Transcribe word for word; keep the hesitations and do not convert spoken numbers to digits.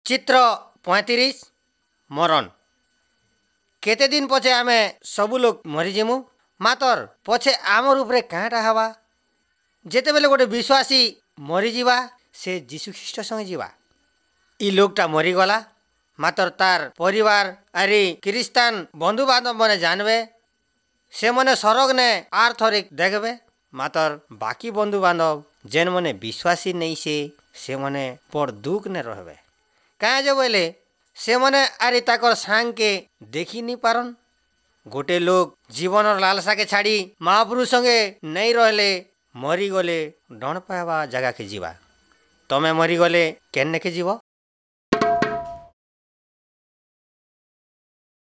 ଚିତ୍ର ପଇଁତିରିଶ ମରণ କେତେ ଦିନ ପଛେ ଆମେ ସବୁ ଲୋକ ମରିଯିମୁ ମାତର ପଛେ ଆମର ଉପରେ କାଁଟା ହେବା ଯେତେବେଲେ ଗୋଟେ ବିଶ୍ୱାସୀ ମରିଯିବା ସେ ଯୀଶୁ ଖ୍ରୀଷ୍ଟ ସଙ୍ଗେ ଯିବା ଇ ଲୋକଟା ମରିଗଲା ମାତର ତାର ପରିବାର ଆରି ଖ୍ରୀଷ୍ଟାନ ବନ୍ଧୁବାନ୍ଧବ ମାନେ ଜାନବେ ସେମାନେ ସରଗ ନେ ଆର୍ ଥରେ ଦେଖବେ ମାତର ବାକି ବନ୍ଧୁବାନ୍ଧବ ଯେନ୍ମାନେ ବିଶ୍ୱାସୀ ନେଇ ସେ ସେମାନେ ବଡ଼ ଦୁଃଖ ନେ ରହବେ କାଁ ଯେ ବୋଇଲେ ସେମାନେ ଆରି ତାକର ସାଙ୍ଗକେ ଦେଖି ନି ପାରନ୍ ଗୋଟେ ଲୋକ ଜୀବନର ଲାଲସାକେ ଛାଡ଼ି ମହାପୁରୁଷ ସଙ୍ଗେ ନେଇ ରହିଲେ ମରିଗଲେ ଡଣ ପାଇବା ଜାଗାକେ ଯିବା ତମେ ମରିଗଲେ କେନ୍ନେକେ ଯିବ